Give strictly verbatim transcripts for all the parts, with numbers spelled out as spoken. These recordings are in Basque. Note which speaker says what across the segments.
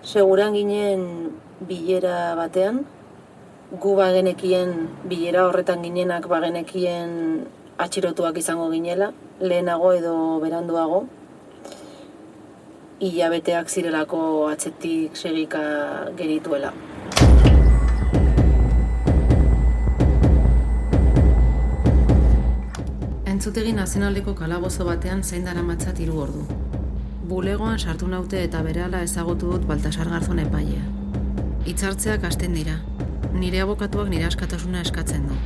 Speaker 1: seguran ginen bilera batean, gu bagenekien bilera horretan ginenak bagenekien atxilotuak izango ginela, lehenago edo beranduago, hilabeteak zirelako atzetik segika gerituela. Entzutegi nazionaleko kalabozo batean zein daramatzat hiru ordu. Bulegoan sartu naute eta berehala ezagutu dut Baltasar Garzon epailea. Hitzartzeak hasten dira. Nire abokatuak nire askatasuna eskatzen du.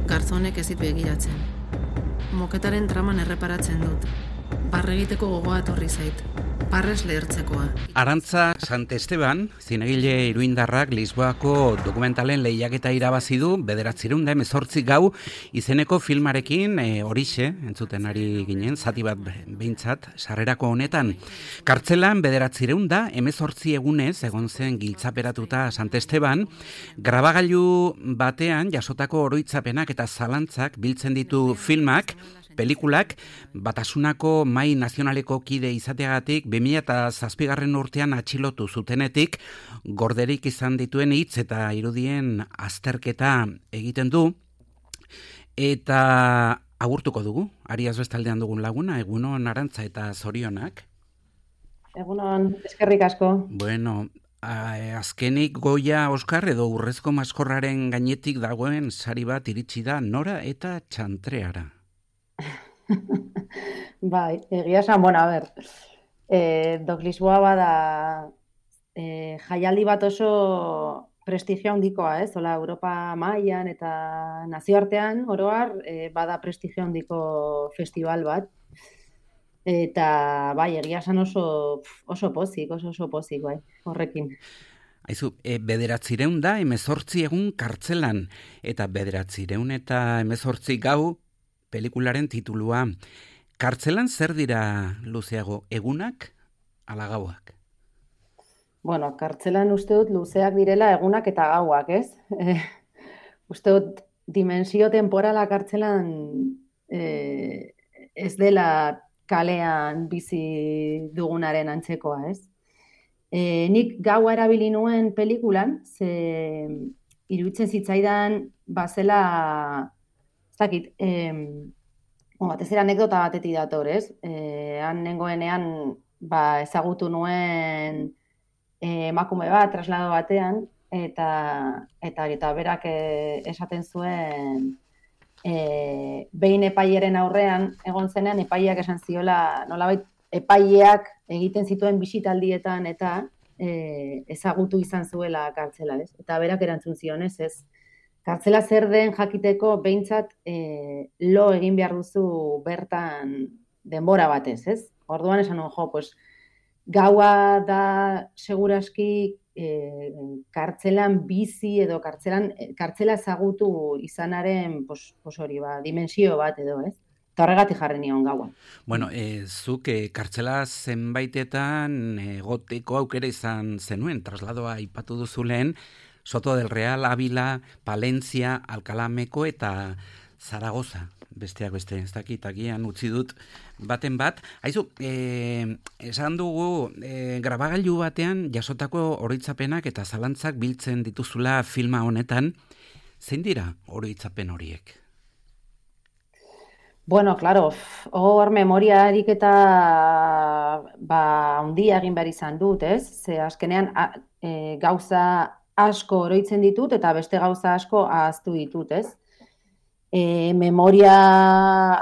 Speaker 1: Garzonek ez ditu begiratzen. Moketaren traman erreparatzen dut. Barre egiteko gogoa etorri zait. Parres lehertzekoa.
Speaker 2: Arantza Santesteban, zinegile iruindarrak Lisboako dokumentalen lehiaketa irabazi du bederatziehun eta hemezortzi gau izeneko filmarekin e, horixe, entzuten ari ginen, zati bat behintzat, sarrerako honetan. Kartzelan bederatziehun eta hemezortzi egunez egon zen giltzaperatuta Santesteban, grabagailu batean jasotako oroitzapenak eta zalantzak biltzen ditu filmak, pelikulak, Batasunako Mahai Nazionaleko kide izateagatik bi mila zazpigarren urtean atxilotu zutenetik, gorderik izan dituen hitz eta irudien azterketa egiten du, eta agurtuko dugu, Ariaz bestaldean dugun laguna, egunon Arantza eta zorionak.
Speaker 3: Egunon, eskerrik asko.
Speaker 2: Bueno, azkenik Goya Oskar edo Urrezko Maskorraren gainetik dagoen sari bat iritsi da Nora eta Txantreara.
Speaker 3: Bai, egia esan, bueno, a ber, e, Dok Lisboa bada e, jaialdi bat oso prestigio handikoa, ez? Hola, Europa mailan eta nazioartean, oroar, e, bada prestigio handiko festival bat. Eta, bai, egia esan oso, oso pozik, oso oso pozik, bai, horrekin.
Speaker 2: Aizu, e, bederatzireun da hemezortzi egun kartzelan, eta bederatzireun eta hemezortzi gau pelikularen titulua. Kartzelan zer dira luzeago, egunak ala gauak?
Speaker 3: Bueno, kartzelan uste dut luzeak direla egunak eta gauak, ez? E, uste dut dimensio temporala kartzelan e, ez dela kalean bizi dugunaren antzekoa, ez? E, nik gaua erabili nuen pelikulan, ze iruditzen zitzaidan bazela, ez dakit, eh, batez ere anekdota batetik dator, ez? Eh, han nengoenean ba, ezagutu nuen eh, emakume bat, traslado batean, eta eta, eta berak eh, esaten zuen eh, behin epaieren aurrean egon zenean, epaileak esan ziola, nolabait epaileak egiten zituen bisitaldietan eta eh, ezagutu izan zuela kartzela, ez? Eta berak erantzun zion, ez, ez? Kartzela zer den jakiteko behintzat e, lo egin behar duzu bertan denbora batez, ez? Orduan esan nuen, jo, pues, gaua da seguraski e, kartzelan bizi edo kartzelan, kartzela ezagutu izanaren pos, pos hori, ba, dimensio bat edo, ez? Eta horregatik jarri nion gaua.
Speaker 2: Bueno, e, zuk e, kartzela zenbaitetan egoteko aukera izan zenuen, trasladoa aipatu duzu lehen, Soto del Real, Ávila, Palencia, Alcalameko eta Zaragoza, besteak beste, ez dakit, agian utzi dut baten bat. Aizu, e, esan dugu, e, grabagailu batean jasotako oroitzapenak eta zalantzak biltzen dituzula filma honetan, zein dira oroitzapen horiek?
Speaker 3: Bueno, claro, hor memoria ariketa ba, handia egin behar izan dut, ez? Ze azkenean a, e, gauza asko oroitzen ditut eta beste gauza asko ahaztu ditut, ez? E, memoria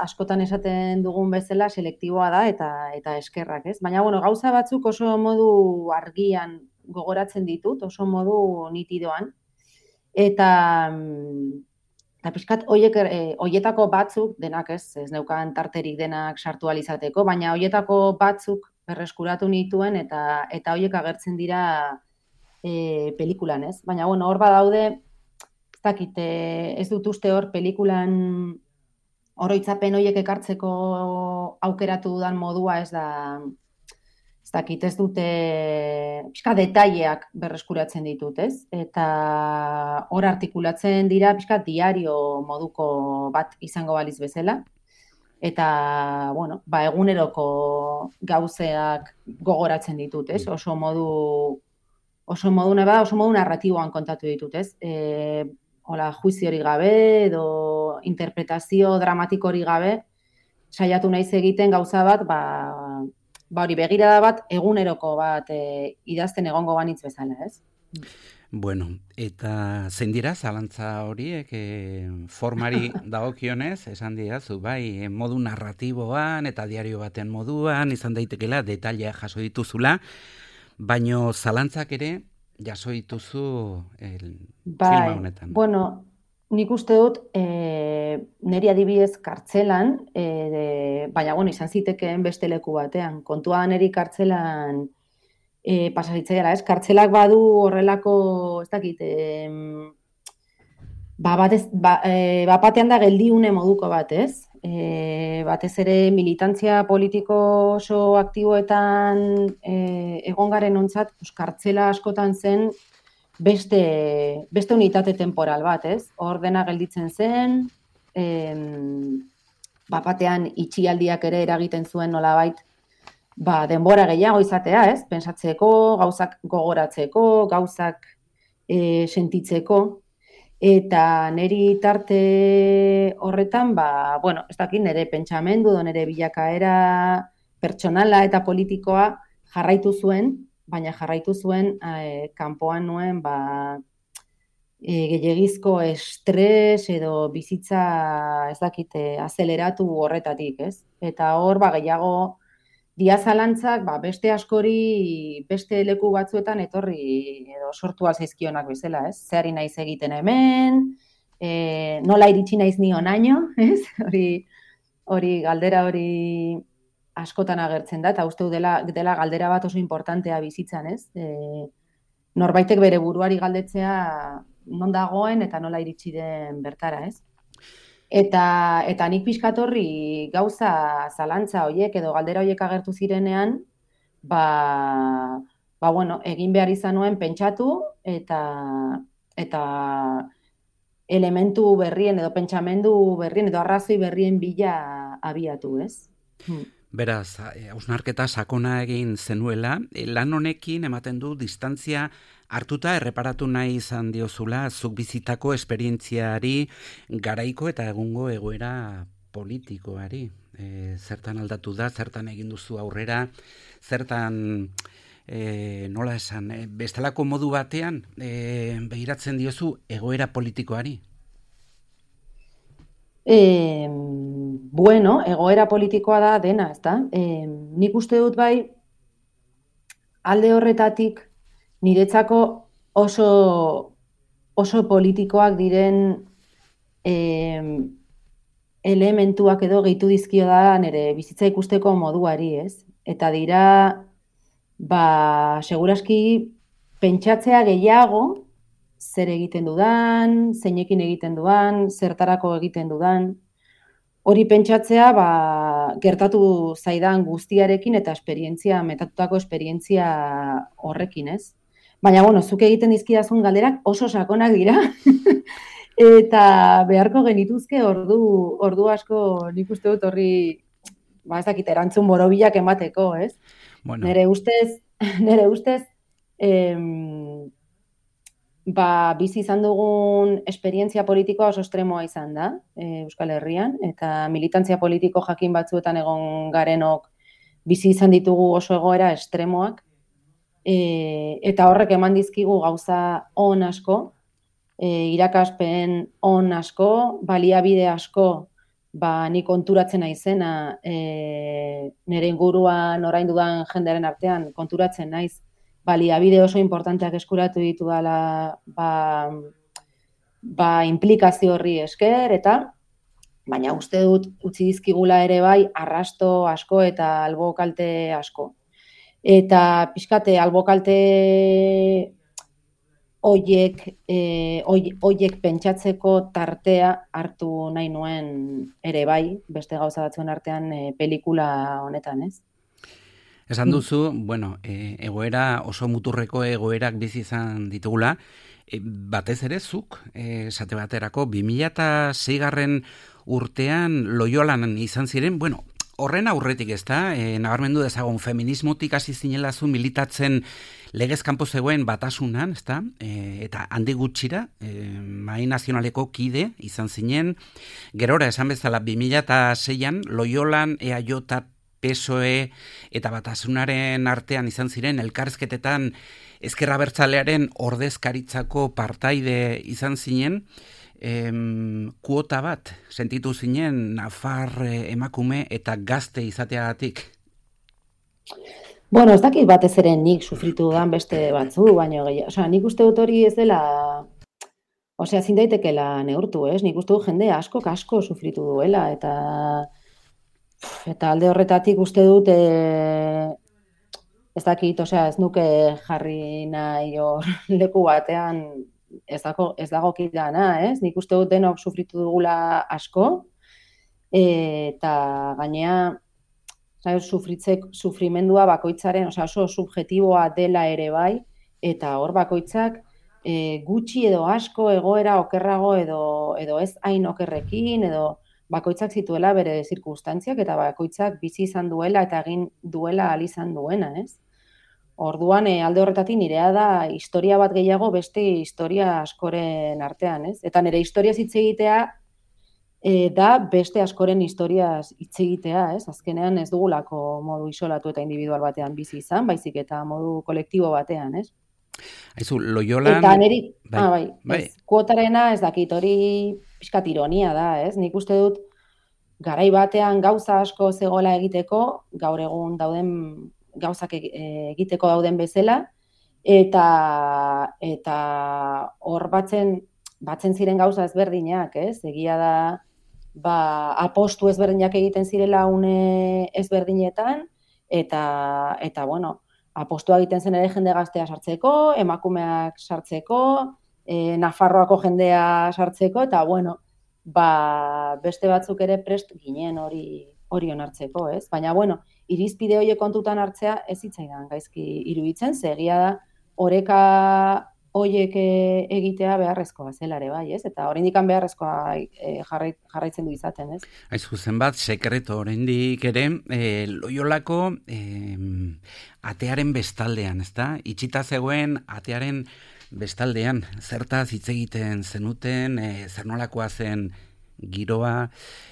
Speaker 3: askotan esaten dugun bezala selektiboa da eta eta eskerrak, ez? Baina, bueno, gauza batzuk oso modu argian gogoratzen ditut, oso modu nitidoan. Eta, eta pixkat, oiek, e, oietako batzuk, denak ez, ez neukan tarterik denak sartu alizateko, baina oietako batzuk berreskuratu nituen eta eta oiek agertzen dira E, pelikulan, ez? Baina, bueno, hor badaude, ez dakit, e, ez dut uste hor pelikulan oroitzapen horiek ekartzeko aukeratu dudan modua ez da, ez dakit, ez dute, pixka detaileak berreskuratzen ditut, ez? Eta hor artikulatzen dira, pixka diario moduko bat izango baliz bezala. Eta, bueno, ba, eguneroko gauzeak gogoratzen ditut, ez? Oso modu oso modu neba, oso modu narratiboan kontatu ditut, ez? E, hola, juizio hori gabe edo interpretazio dramatiko hori gabe, saiatu naiz egiten gauza bat, ba, ba hori begirada bat, eguneroko bat e, idazten egongo banitz bezala, ez?
Speaker 2: Bueno, eta zein dira zalantza horiek e, formari dagokionez, esan didazu, bai, modu narratiboan eta diario baten moduan, izan daitekela, detailea jaso dituzula, baino zalantzak ere jaso dituzu el,
Speaker 3: bai,
Speaker 2: filma honetan.
Speaker 3: Bueno, nik uste dut e, niri adibidez kartzelan, e, de, baina bueno, izan zitekeen beste leku batean, kontua niri kartzelan E, pasaritzaiala, ez? Kartzelak badu horrelako, ez dakit, e, ba, batez, ba, e, bapatean da geldiune moduko bat, ez? E, batez ere militantzia politiko oso aktiboetan e, egon garen ontzat, pues, kartzela askotan zen beste, beste unitate temporal bat, ez? Hor dena gelditzen zen, e, bapatean itxialdiak ere eragiten zuen nolabait, ba, denbora gehiago izatea, ez? Pentsatzeko, gauzak gogoratzeko, gauzak e, sentitzeko, eta niri tarte horretan, ba, bueno, ez dakit nire pentsamendu, nire bilakaera pertsonala eta politikoa jarraitu zuen, baina jarraitu zuen e, kanpoan nuen, ba, e, gehiagizko estres edo bizitza, ez dakit, azeleratu horretatik, ez? Eta hor, ba, gehiago diazalantzak, ba, beste askori, beste leku batzuetan etorri edo sortu alzaizkionak bezala, ez? Zeari naiz egiten hemen, e, nola iritsi naiz ni honaino, ez? Hori, hori galdera hori askotan agertzen da, eta uste dela, dela galdera bat oso importantea bizitzan, ez? E, norbaitek bere buruari galdetzea non dagoen eta nola iritsi den bertara, ez? Eta, eta nik pixkatorri gauza zalantza horiek edo galdera horiek agertu zirenean, ba, ba bueno, egin behar izan nuen pentsatu eta, eta elementu berrien edo pentsamendu berrien edo arrazoi berrien bila abiatu, ez? Hmm.
Speaker 2: Beraz, hausnarketa sakona egin zenuela, lan honekin ematen du distantzia hartuta erreparatu nahi izan diozula zuk bizitako esperientziari, garaiko eta egungo egoera politikoari. E, zertan aldatu da, zertan egin duzu aurrera, zertan, e, nola esan, e, bestelako modu batean e, begiratzen diozu egoera politikoari?
Speaker 3: E, bueno, egoera politikoa da dena, ezta? E, nik uste dut bai, alde horretatik niretzako oso, oso politikoak diren e, elementuak edo gehitu dizkio da nire bizitza ikusteko moduari, ez? Eta dira, ba, seguraski pentsatzea gehiago, zer egiten dudan, zeinekin egiten dudan, zertarako egiten dudan. Hori pentsatzea, ba, gertatu zaidan guztiarekin eta esperientzia, metatutako esperientzia horrekin, ez? Baina, bueno, zuk egiten dizkidazun galderak oso sakonak dira. Eta beharko genituzke ordu, ordu asko nik uste dut horri, ba, ez dakit, erantzun borobilak emateko, ez? Bueno. Nere ustez, nere ustez, em, ba, bizi izan dugun esperientzia politikoa oso estremoa izan da, e, Euskal Herrian, eta militantzia politiko jakin batzuetan egon garenok bizi izan ditugu oso egoera estremoak, e, eta horrek eman dizkigu gauza on asko, e, irakaspen on asko, baliabide asko, ba, ni konturatzen naizena, e, nire inguruan orain dudan jendearen artean konturatzen naiz, baliabide oso importanteak eskuratu ditu dela, ba, ba, implikazio horri esker, eta baina uste dut utzi dizkigula ere bai arrasto asko eta albo kalte asko. Eta pixkate albo kalte oiek, e, oiek pentsatzeko tartea hartu nahi nuen ere bai, beste gauza batzuen artean e, pelikula honetan, ez?
Speaker 2: Esan duzu, bueno, e, egoera oso muturreko egoerak bizi izan ditugula, e, batez ere zuk, e, esate baterako, bi mila seigarren urtean Loiolan izan ziren, bueno, horren aurretik ez da, e, nabarmendu dezagun feminismotik hasi zinela zu militatzen legez kanpo zegoen batasunan, ez da, e, eta handi gutxira, e, Mahai Nazionaleko kide izan zinen, gerora esan bezala bi mila seian Loiolan E A J, P S O E eta batasunaren artean izan ziren elkarrizketetan Ezker Abertzalearen ordezkaritzako partaide izan zinen, em, kuota bat sentitu zinen nafar emakume eta gazte izateagatik?
Speaker 3: Bueno, ez dakit batez ere nik sufritu dudan beste batzu, baina gehiago. Osea, nik uste dut hori ez dela, osea, ezin daitekela neurtu, ez? Nik uste dut jende asko asko sufritu duela, eta eta alde horretatik uste dut e, ez dakit, osea, ez nuke jarri nahi hor leku batean ez dago ez dagokidana, ez? Nik uste dut denok sufritu dugula asko, eta gainea sufritzek sufrimendua bakoitzaren, osea, oso subjektiboa dela ere bai, eta hor bakoitzak e, gutxi edo asko egoera okerrago edo edo ez hain okerrekin edo bakoitzak zituela bere zirkunstantziak eta bakoitzak bizi izan duela eta egin duela ahal izan duena, ez? Orduan, e, alde horretatik nirea da historia bat gehiago beste historia askoren artean, ez? Eta nire historiaz hitz egitea e, da beste askoren historiaz hitz egitea, ez? Azkenean ez dugulako modu isolatu eta individual batean bizi izan, baizik eta modu kolektibo batean, ez?
Speaker 2: Aizu, Loiolan...
Speaker 3: Eta niri,
Speaker 2: bai,
Speaker 3: ah, bai,
Speaker 2: bai.
Speaker 3: Ez, kuotarena ez dakit, hori pixkat ironia da, ez? Nik uste dut garai batean gauza asko zegoela egiteko, gaur egun dauden gauzak egiteko dauden bezala, eta eta hor batzen batzen ziren gauza ezberdinak, ez? Egia da, ba, apostu ezberdinak egiten zirela une ezberdinetan, eta eta bueno, apostua egiten zen ere jende gaztea sartzeko, emakumeak sartzeko, e, Nafarroako jendea sartzeko, eta bueno, ba, beste batzuk ere prest ginen hori hori onartzeko, ez? Baina, bueno, irizpide horiek kontutan hartzea ez zitzaidan gaizki iruditzen, ze egia da oreka horiek egitea beharrezkoa zela ere bai, ez? Eta oraindik beharrezkoa e, jarrait, jarraitzen du izaten, ez?
Speaker 2: Aizu zenbat sekreto oraindik ere e, Loiolako e, atearen bestaldean, ezta? Itxita zegoen atearen bestaldean, zertaz hitz egiten zenuten, e, zer nolakoa zen giroa,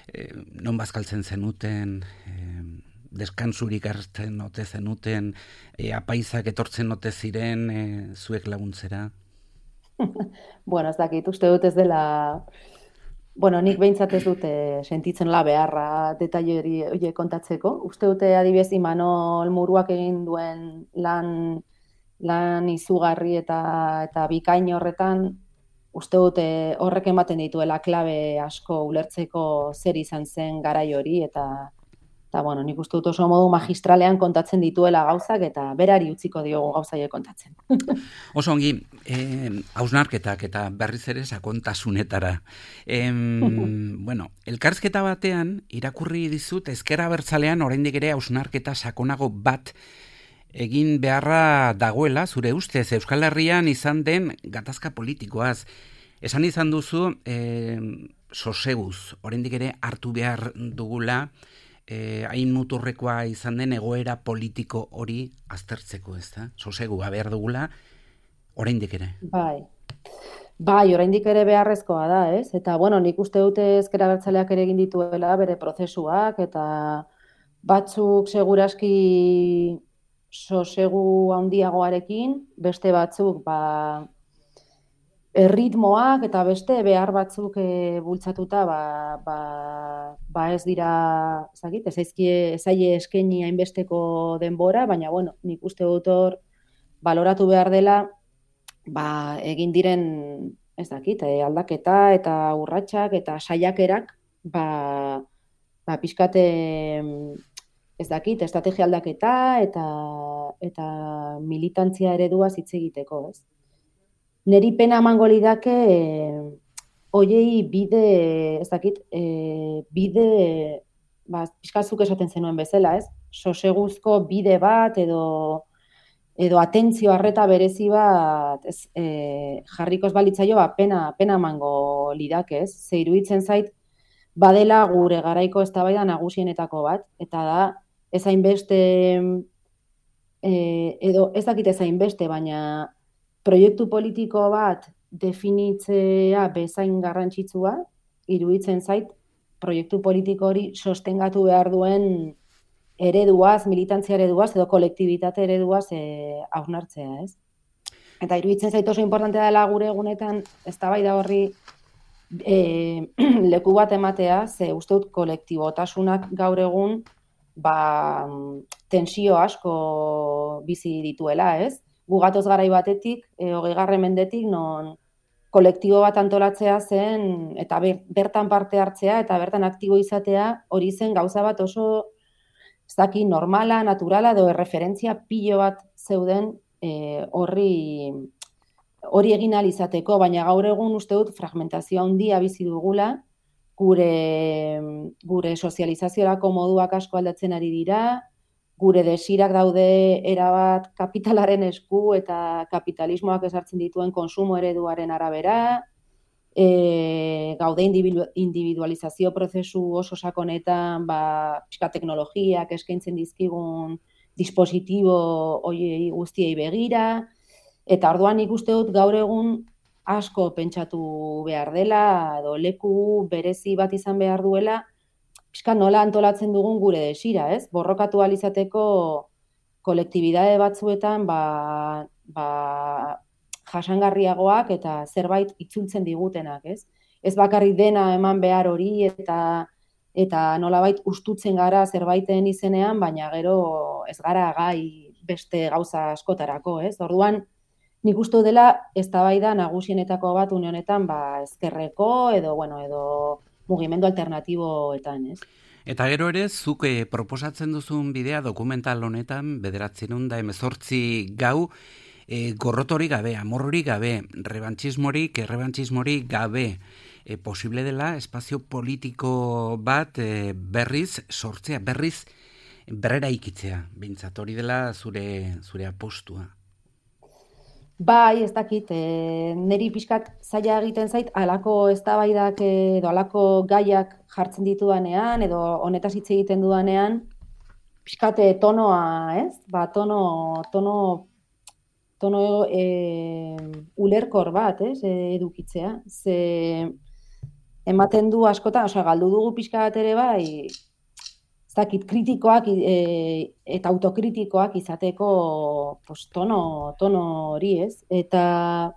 Speaker 2: e, non bazkaltzen zenuten, e, deskansurik hartzen ote zenuten, e, apaizak etortzen ote ziren e, zuek laguntzera?
Speaker 3: Bueno, ez dakit, uste dut ez dela... Bueno, nik behintzat ez dute sentitzen la beharra detaile hori kontatzeko. Uste dute adibidez Imanol Muruak egin duen lan, lan izugarri eta, eta bikain horretan, uste dute horrek ematen dituela klabe asko ulertzeko zer izan zen garai hori, eta Eta, bueno, nik uste dut oso modu magistralean kontatzen dituela gauzak, eta berari utziko diogu gauzaile kontatzen.
Speaker 2: Oso ongi, eh, hausnarketak eta berriz ere sakontasunetara. Eh, bueno, elkarrizketa batean, irakurri dizut, Ezker Abertzalean oraindik ere hausnarketa sakonago bat egin beharra dagoela, zure ustez, Euskal Herrian izan den gatazka politikoaz. Esan izan duzu, eh, soseguz, oraindik ere hartu behar dugula, Eh, hain muturrekoa izan den egoera politiko hori aztertzeko, ez da? Sosegua behar dugula, oraindik ere.
Speaker 3: Bai, bai, oraindik ere beharrezkoa da, ez? Eta, bueno, nik uste dute Ezker Abertzaleak ere egin dituela bere prozesuak, eta batzuk seguraski sosegu handiagoarekin, beste batzuk, ba, erritmoak eta beste behar batzuk e, bultzatuta ba, ba, ba ez dira, ezagit, ez zaizkie zaie eskaini hainbesteko denbora, baina bueno, nik uste dut hor baloratu behar dela ba, egin diren, ez dakit, e, aldaketa eta urratsak eta saiakerak ba, ba pixkate ez dakit, estrategia aldaketa eta eta militantzia eredua hitz egiteko, ez? Neri pena emango lidake eh, oiei bide, ez dakit, eh, bide, ba, pixkatzuk esaten zenuen bezala, ez? Soseguzko bide bat edo edo atentzio arreta berezi bat ez, eh, jarrikoz balitzaio, ba, pena, pena emango lidake, ez? Ze iruditzen zait, badela gure garaiko eztabaida nagusienetako bat, eta da, ez hainbeste, eh, edo ez dakit ez hainbeste, baina proiektu politiko bat definitzea bezain garrantzitsua, iruditzen zait, proiektu politiko hori sostengatu behar duen ereduaz, militantzia ereduaz, edo kolektibitate ereduaz eh, hausnartzea, ez? Eta iruditzen zait oso importantea dela gure egunetan eztabaida horri e, leku bat ematea, ze uste dut kolektibotasunak gaur egun ba, tensio asko bizi dituela, ez? Gu gatoz garai batetik, e, hogeigarren mendetik, non kolektibo bat antolatzea zen, eta ber, bertan parte hartzea, eta bertan aktibo izatea, hori zen gauza bat oso, ez daki, normala, naturala, edo erreferentzia pilo bat zeuden e, horri hori egin ahal izateko, baina gaur egun uste dut fragmentazioa handia bizi dugula, gure, gure sozializaziorako moduak asko aldatzen ari dira, gure desirak daude erabat kapitalaren esku eta kapitalismoak ezartzen dituen konsumo ereduaren arabera, e, gaude individualizazio prozesu oso sakonetan, ba, pixka teknologiak eskaintzen dizkigun dispositibo hoiei guztiei begira, eta orduan nik uste dut gaur egun asko pentsatu behar dela, edo leku berezi bat izan behar duela, pixka nola antolatzen dugun gure desira, ez? Borrokatu ahal izateko kolektibidade batzuetan ba, ba, jasangarriagoak eta zerbait itzultzen digutenak, ez? Ez bakarrik dena eman behar hori eta eta nolabait ustutzen gara zerbaiten izenean, baina gero ez gara gai beste gauza askotarako, ez? Orduan, nik uste dela eztabaida nagusienetako bat une honetan ba, ezkerreko edo, bueno, edo mugimendu alternatiboetan, ez?
Speaker 2: Eta gero ere, zuk eh, proposatzen duzun bidea dokumental honetan, bederatziehun eta hemezortzi gau, eh, gorrotorik gabe, amorrorik gabe, rebantxismorik, errebantxismorik gabe, eh, posible dela espazio politiko bat eh, berriz sortzea, berriz berrera ikitzea, bintzat hori dela zure, zure apostua.
Speaker 3: Bai, ez dakit, e, niri pixkat zaila egiten zait, alako eztabaidak edo alako gaiak jartzen ditudanean, edo honetaz hitz egiten dudanean, pixkat tonoa, ez? Ba, tono, tono, tono e, ulerkor bat, ez? E, edukitzea. Ze ematen du askotan, osea, galdu dugu pixka bat ere bai, ez dakit, kritikoak e, eta autokritikoak izateko pues, tono, tono hori, ez? Eta,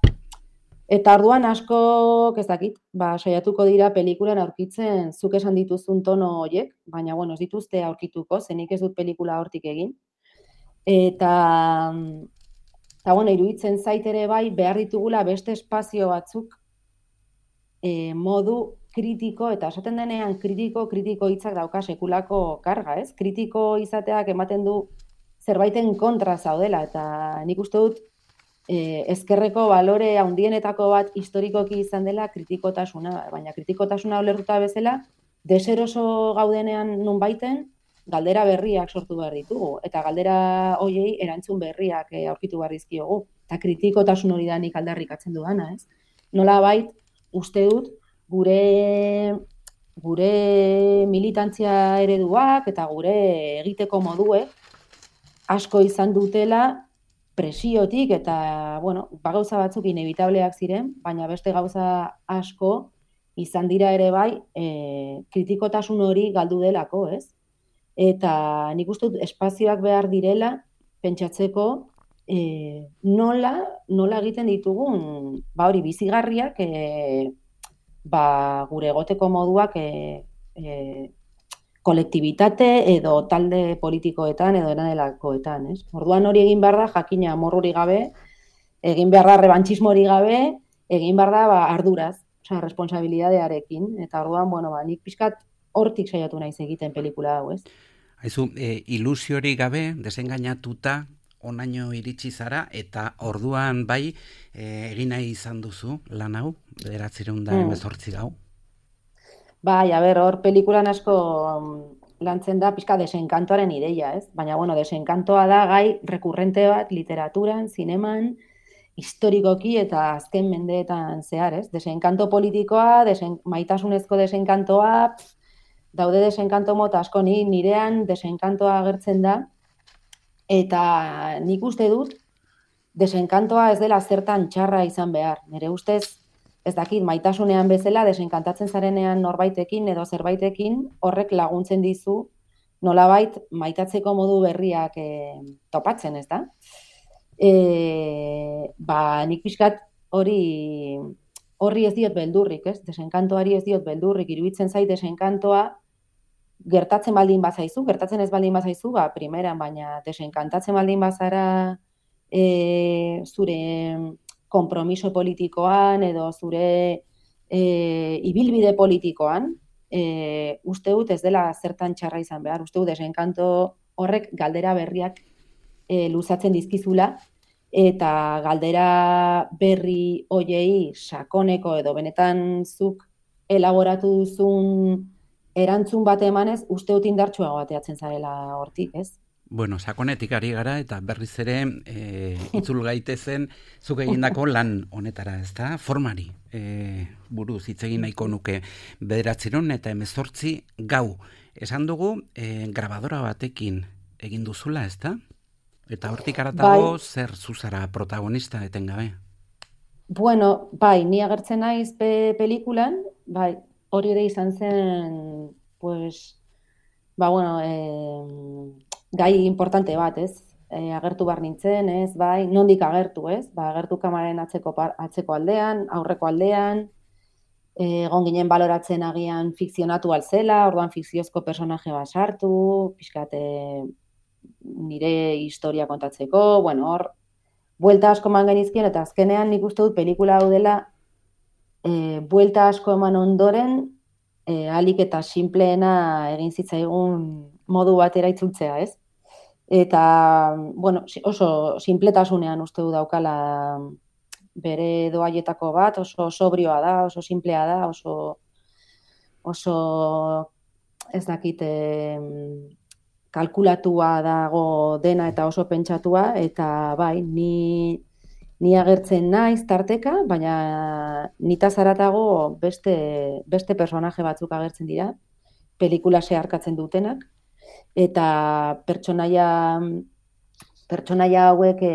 Speaker 3: eta orduan asko, ez dakit, ba, saiatuko dira pelikulan aurkitzen zuk esan dituzun tono horiek, baina, bueno, ez dituzte aurkituko, zenik ez dut pelikula hortik egin. Eta, eta bueno, iruditzen zait ere bai, behar ditugula beste espazio batzuk e, modu kritiko, eta esaten denean kritiko, kritiko hitzak dauka sekulako karga, ez? Kritiko izateak ematen du zerbaiten kontra zaudela, eta nik uste dut eh, ezkerreko balore handienetako bat historikoki izan dela kritikotasuna, baina kritikotasuna ulertuta bezala, deseroso gaudenean nunbaiten galdera berriak sortu behar ditugu, eta galdera hoiei erantzun berriak eh, aurkitu behar dizkiogu, eta kritikotasun hori da nik aldarrikatzen dudana, ez? Nolabait, uste dut, gure gure militantzia ereduak eta gure egiteko moduek asko izan dutela presiotik eta, bueno, ba gauza batzuk inevitableak ziren, baina beste gauza asko izan dira ere bai e, kritikotasun hori galdu delako, ez? Eta nik uste dut espazioak behar direla pentsatzeko e, nola, nola egiten ditugun, ba hori bizigarriak e, ba, gure egoteko moduak e, e, kolektibitate edo talde politikoetan edo eranelakoetan, ez? Orduan hori egin behar da, jakina amorruri gabe, egin behar da rebantxismori gabe, egin behar da ba, arduraz, osea, responsabilidadearekin, eta orduan, bueno, ba, nik pixkat hortik saiatu naiz egiten pelikula hau, ez?
Speaker 2: Haizu, e, ilusiori gabe, desengainatuta, onaino iritsi zara, eta orduan bai, e, egin nahi izan duzu lan hau, bederatziehun eta hemezortzi gau.
Speaker 3: Bai, a ber, hor pelikulan asko lantzen da pixka desenkantoaren ideia, ez? Baina, bueno, desenkantoa da gai rekurrente bat literaturan, zineman, historikoki eta azken mendeetan zehar, ez? Desenkanto politikoa, desen, maitasunezko desenkantoa, daude desenkanto mota asko, ni nirean desenkantoa agertzen da, eta nik uste dut desenkantoa ez dela zertan txarra izan behar. Nire ustez, ez dakit, maitasunean bezala, desenkantatzen zarenean norbaitekin edo zerbaitekin, horrek laguntzen dizu, nolabait maitatzeko modu berriak e, topatzen, ez da? E, ba, nik pixkat hori horri ez diot beldurrik, ez? Desenkantoari ez diot beldurrik, iruditzen zait desenkantoa gertatzen baldin bazaizu, gertatzen ez baldin bazaizu, ba, primeran, baina desenkantatzen baldin bazara e, zure konpromiso politikoan edo zure e, ibilbide politikoan, e, uste dut ez dela zertan txarra izan behar, uste dut desenkanto horrek galdera berriak e, luzatzen dizkizula, eta galdera berri hoiei sakoneko edo benetan zuk elaboratu duzun erantzun bat emanez, uste dut indartsuago bateatzen zarela hortik, ez?
Speaker 2: Bueno, sakonetik ari gara eta berriz ere e, itzul gaitezen zuk egindako lan honetara, ez da? Formari e, buruz hitz egin nahiko nuke bederatziehun eta hemezortzi gau. Esan dugu e, grabadora batekin egin duzula, ez da? Eta hortik aratago bai. Zer zuzara protagonista etengabe?
Speaker 3: Bueno, bai, ni agertzen naiz pe pelikulan, bai, hori ere izan zen, pues, ba, bueno, e, gai importante bat, ez? E, agertu behar nintzen, ez? Bai, nondik agertu, ez? Ba, agertu kamararen atzeko, atzeko aldean, aurreko aldean, egon ginen baloratzen agian fikzionatu alzela, orduan fikziozko personaje bat sartu, pixkate nire historia kontatzeko, bueno, hor, buelta asko eman genizkien, eta azkenean nik uste dut pelikula hau dela, E, buelta asko eman ondoren, e, alik eta sinpleena egin zitzaigun modu batera itzultzea, ez? Eta, bueno, oso sinpletasunean uste du daukala bere doaietako bat, oso sobrioa da, oso simplea da, oso, oso ez dakit, kalkulatua dago dena eta oso pentsatua, eta bai, ni... Ni agertzen naiz tarteka, baina nitaz haratago beste, beste personaje batzuk agertzen dira, pelikula zeharkatzen dutenak, eta pertsonaia, pertsonaia hauek e,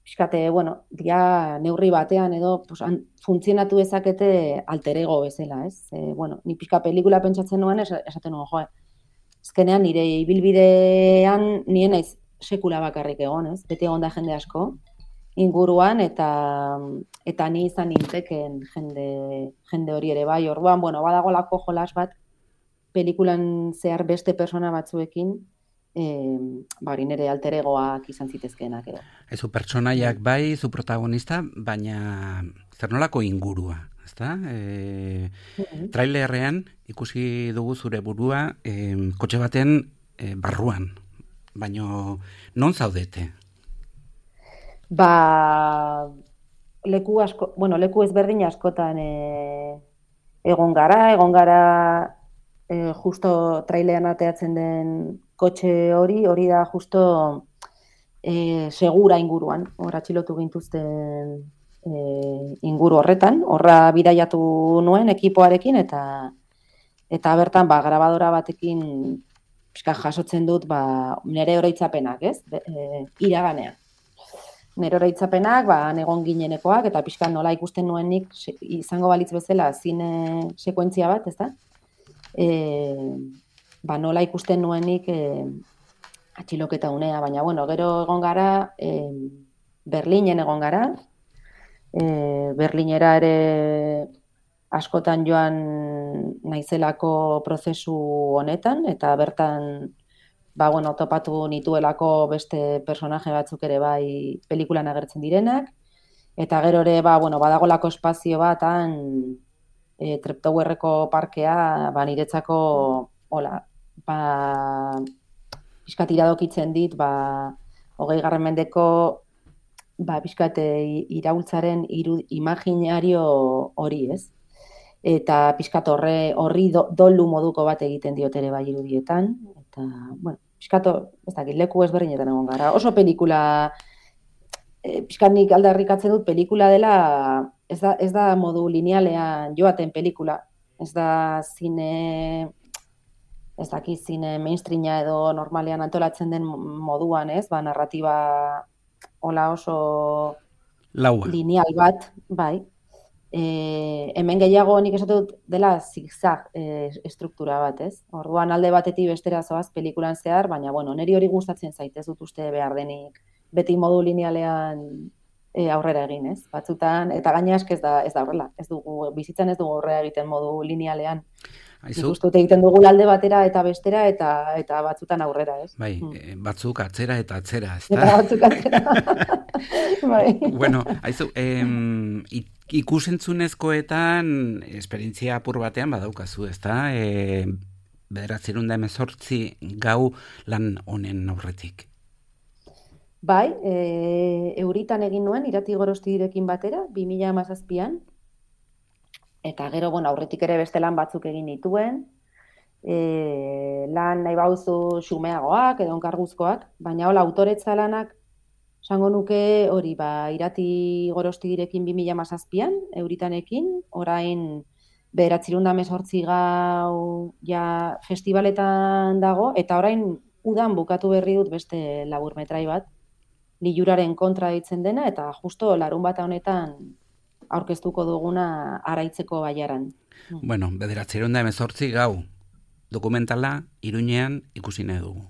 Speaker 3: pixkate, bueno, dia neurri batean edo pues, funtzionatu ezakete alter ego bezala, ez? E, bueno, ni pixka pelikula pentsatzen nuen, esaten nuen, joe, ezkenean nire ibilbidean nien naiz sekula bakarrik egon, ez? Beti egon da jende asko, inguruan eta eta ni izan ninteken jende jende hori ere bai. Orduan, bueno, badagolako jolas bat pelikulan zehar beste persona batzuekin, eh, ba hori nere alter egoak izan zitezkeenak edo.
Speaker 2: Ezu pertsonaiak bai, zu protagonista, baina zer nolako ingurua, ezta? Eh, mm-hmm. Trailerrean ikusi dugu zure burua eh, kotxe baten eh, barruan. Baino non zaudete?
Speaker 3: Ba, leku asko, bueno, leku ezberdin askotan e, egon gara, egon gara e, justo trailean ateatzen den kotxe hori, hori da justo e, segura inguruan, hor atxilotu gintuzten e, inguru horretan, horra bidaiatu nuen ekipoarekin eta eta bertan ba, grabadora batekin pixka jasotzen dut ba, nire oroitzapenak, ez? E, iraganean. Nero oroitzapenak, ba, egon ginenekoak, eta pixka nola ikusten nuenik, izango balitz bezala, zine sekuentzia bat, ez da? E, ba, nola ikusten nuenik e, atxiloketa unea, baina, bueno, gero egon gara, e, Berlinen egon gara, e, Berlinera ere askotan joan naizelako prozesu honetan, eta bertan ba, bueno, topatu nituelako beste personaje batzuk ere bai pelikulan agertzen direnak, eta gero ere, ba, bueno, badagolako espazio batan e, Treptowerreko parkea, ba, niretzako, hola, ba, pixkat iradokitzen dit, ba, hogei garren mendeko, ba, pixkat iraultzaren iru, imaginario hori, ez? Eta pixkat horre, horri do, dolu moduko bat egiten diot ere bai irudietan, eta, bueno, pixkato, ez dakit, leku ezberdinetan egon gara. Oso pelikula e, pixkanik aldarrikatzen dut pelikula dela, ez da, ez da modu linealean joaten pelikula. Ez da zine, ez daki zine mainstreama edo normalean antolatzen den moduan, ez? Ba, narratiba hola oso
Speaker 2: Laua.
Speaker 3: lineal bat, bai. E, hemen gehiago nik esatu dut dela zigzag e, estruktura bat, ez? Orduan alde batetik bestera zoaz pelikulan zehar, baina bueno, niri hori gustatzen zait, ez dut uste behar denik beti modu linealean e, aurrera egin, ez? Batzutan, eta gaina esk ez da, ez da horrela, ez dugu, bizitzan ez dugu aurrera egiten modu linealean. Nik uste dut egiten dugu alde batera eta bestera eta eta batzutan aurrera, ez?
Speaker 2: Bai,
Speaker 3: mm.
Speaker 2: batzuk atzera eta atzera, ez da?
Speaker 3: Eta batzuk atzera. Bai.
Speaker 2: Bueno, haizu, em, ikusentzunezkoetan esperientzia apur batean badaukazu, ez da? E, bederatzerun da hemezortzi gau lan honen aurretik.
Speaker 3: Bai, e, Euritan egin nuen, Irati Gorostirekin batera, bi mila hamazazpian, eta gero, bueno, aurretik ere beste lan batzuk egin dituen, e, lan nahi bauzu xumeagoak edo onkarguzkoak, baina hola autoretza lanak, esango nuke hori, ba, Irati Gorostirekin bi mila hamazazpian, Euritanekin, orain bederatzirun da hemezortzi gau ja festivaletan dago, eta orain udan bukatu berri dut beste laburmetrai bat, Liluraren kontra ditzen dena, eta justo larun bata honetan aurkeztuko duguna Araitzeko baiaran.
Speaker 2: Bueno, bederatzerun da hemezortzi gau, dokumentala Iruñean ikusi nahi dugu.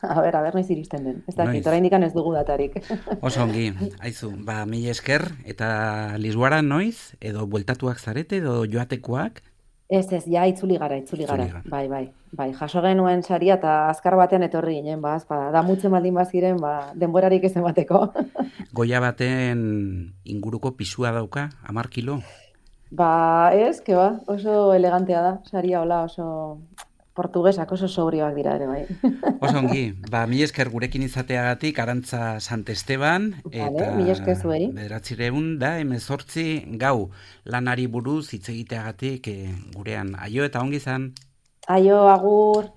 Speaker 3: A ber, a ber, noiz iristen den. Ez dakit, oraindik ez dugu datarik.
Speaker 2: Oso ongi, haizu, ba, mila esker, eta Lisboara noiz, edo bueltatuak zarete, edo joatekoak?
Speaker 3: Ez, ez, ja, itzuli gara, itzuli gara. Itzuli gara. Bai, bai, bai, jaso genuen saria eta azkar batean etorri ginen, ba, azpada, da mutzen baldin baziren, ba, denborarik ez emateko.
Speaker 2: Goia baten inguruko pisua dauka, hamar kilo?
Speaker 3: Ba, ez, que ba, oso elegantea da, saria hola, oso portugesak oso sobrioak dira ere, bai.
Speaker 2: Oso ongi, ba, mila esker gurekin izateagatik, Arantza Santesteban, eta
Speaker 3: mila esker zueri.
Speaker 2: Bederatzireun da hemezortzi gau lanari buruz hitz egiteagatik e, gurean. Aio eta ongi izan.
Speaker 3: Aio, agur.